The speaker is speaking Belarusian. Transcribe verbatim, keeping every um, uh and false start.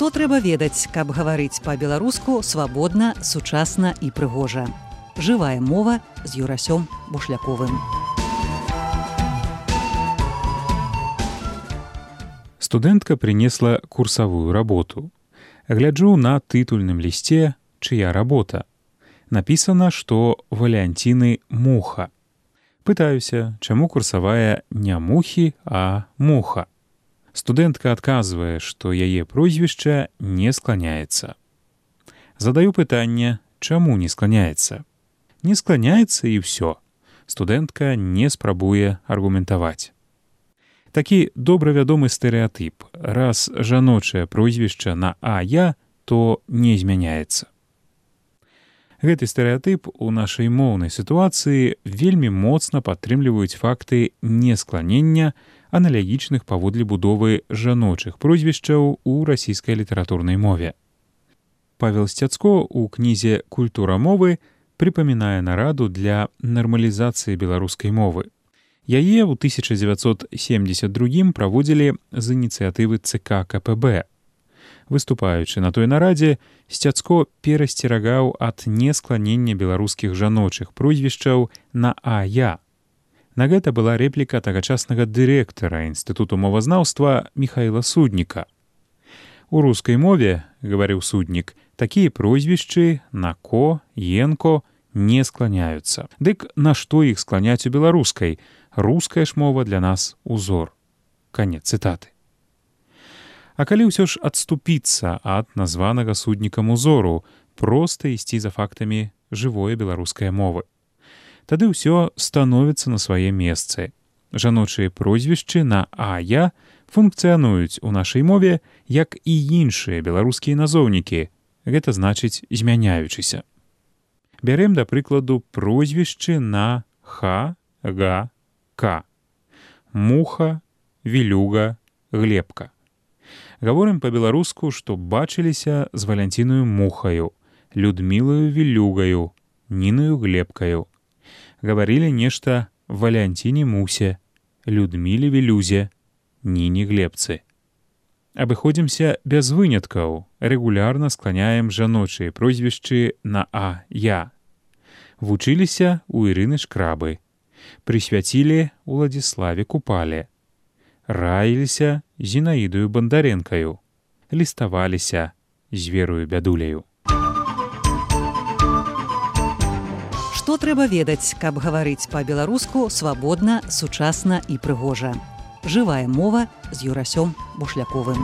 Што трэба ведаць, каб гаварыць па-беларуску свабодна, сучасна і прыгожа. Жывая мова з Юрасём Бушляковым. Студэнтка принесла курсавую работу. Гляджу на тытульным лісце «Чыя работа». Напісана, што Валянціны муха. Пытаюся, чаму курсавая не мухі, а муха. Студэнтка адказвае, што яе прозвішча не скланяецца. Задаю пытанне, чаму не скланяецца. Не скланяецца і ўсё. Студэнтка не спрабуе аргументаваць. Такі добра вядомы стэрэатып. Раз жаночае прозвішча на «а-я», то не змяняецца. Гэты стэрэатып у нашай моўнай сітуацыі вельмі моцна падтрымліваюць факты нескланення аналагічных паводле будовы жаночых прозвішчаў у расійскай літаратурнай мове. Павел Сцяцко ў кнізе «Культура мовы» прыпамінае нараду для нармалізацыі беларускай мовы. Яе ў тысяча дзевяцьсот семдзесят другім праводзілі з ініцыятывы ЦК КПБ. Выступаючы на той нарадзе, Сцяцко перасцерагаў ад нескланення беларускіх жаночых прозвішчаў на «а-я». На гэта была рэпліка тагачаснага дырэктара Інстытуту мовазнаўства Міхаіла Судніка. У рускай мове, гаварыў Суднік, такія прозвішчы на «ко», «енко» не скланяюцца. Дык на што іх скланяць у беларускай? Руская ж мова для нас узор. Канец цытаты. А калі ўсё ж адступіцца ад названага Суднікам узору, проста ісці за фактамі жывой беларускай мовы. Тады ўсё становіцца на свае месцы. Жаночыя прозвішчы на «а-я» функцыянуюць у нашай мове, як і іншыя беларускія назоўнікі, гэта значыць змяняючыся. Бярем, да прыкладу, прозвішчы на «ха», «га», «ка». Муха, Вілюга, Глебка. Гаворым па-беларуску, што бачыліся з Валянцінаю Мухаю, Людмілаю Вілюгаю, Нінаю Глебкаю. Гаварылі нешта Валянціне Мусе, Людміле Вілюзе, Ніне Глебцы. Абыходзімся без выняткаў, рэгулярна скланяем жаночыя прозвішчы на «а-я». Вучыліся ў Ірыны Шкрабы, прысвяцілі Уладзіславе Купале, раіліся Зінаідаю Бандарэнкаю, ліставаліся з Верою Бядуляю. Што трэба ведаць, каб гаварыць па-беларуску свабодна, сучасна і прыгожа. Жывая мова з Юрасём Бушляковым.